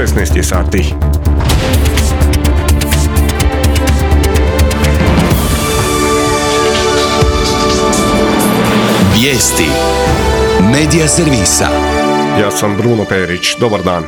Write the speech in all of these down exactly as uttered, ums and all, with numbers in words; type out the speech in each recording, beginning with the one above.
šesnaest je sati. Vijesti Medija servisa. Ja sam Bruno Perić. Dobar dan.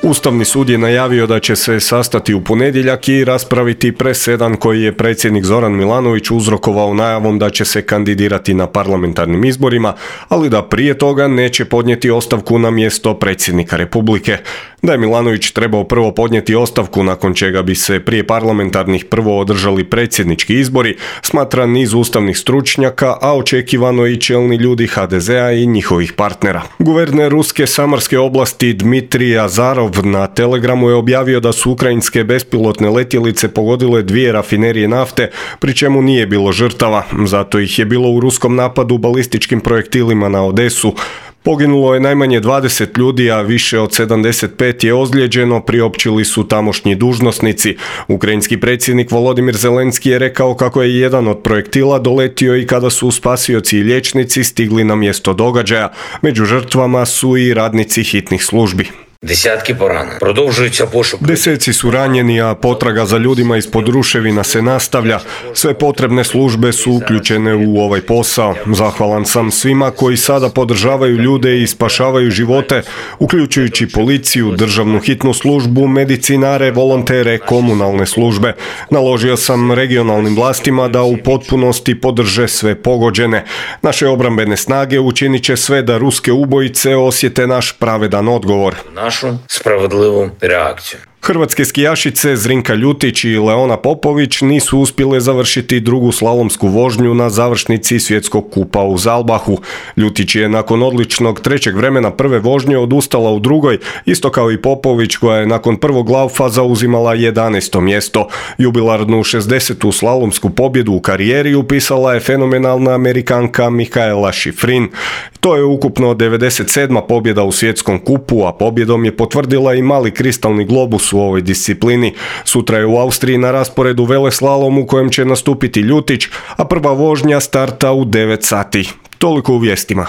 Ustavni sud je najavio da će se sastati u ponedjeljak i raspraviti presedan koji je predsjednik Zoran Milanović uzrokovao najavom da će se kandidirati na parlamentarnim izborima, ali da prije toga neće podnijeti ostavku na mjesto predsjednika Republike. Da je Milanović trebao prvo podnijeti ostavku nakon čega bi se prije parlamentarnih prvo održali predsjednički izbori, smatra niz ustavnih stručnjaka, a očekivano i čelni ljudi ha de zea i njihovih partnera. Guverner Ruske Samarske oblasti Dmitrij Azarov na Telegramu je objavio da su ukrajinske bespilotne letjelice pogodile dvije rafinerije nafte, pri čemu nije bilo žrtava, zato ih je bilo u ruskom napadu balističkim projektilima na Odesu. Poginulo je najmanje dvadeset ljudi, a više od sedamdeset pet je ozlijeđeno, priopćili su tamošnji dužnosnici. Ukrajinski predsjednik Volodimir Zelenski je rekao kako je jedan od projektila doletio i kada su spasioci i liječnici stigli na mjesto događaja. Među žrtvama su i radnici hitnih službi. Desetki porana. Продовжується пошук. Deseci su ranjeni, a potraga za ljudima ispod ruševina se nastavlja. Sve potrebne službe su uključene u ovaj posao. Zahvalan sam svima koji sada podržavaju ljude i spašavaju živote, uključujući policiju, državnu hitnu službu, medicinare, volontere, komunalne službe. Naložio sam regionalnim vlastima da u potpunosti podrže sve pogođene. Naše obrambene snage učinit će sve da ruske ubojice osjete naš pravedan odgovor. Нашу справедливу реакцію. Hrvatske skijašice Zrinka Ljutić i Leona Popović nisu uspjele završiti drugu slalomsku vožnju na završnici svjetskog kupa u Zalbahu. Ljutić je nakon odličnog trećeg vremena prve vožnje odustala u drugoj, isto kao i Popović koja je nakon prvog laufa zauzimala jedanaesto mjesto. Jubilarnu šezdesetu slalomsku pobjedu u karijeri upisala je fenomenalna Amerikanka Mikaela Šifrin. To je ukupno devedeset sedma pobjeda u svjetskom kupu, a pobjedom je potvrdila i mali kristalni globus u ovoj disciplini. Sutra je u Austriji na rasporedu veleslalom u kojem će nastupiti Ljutić, a prva vožnja starta u devet sati. Toliko u vijestima.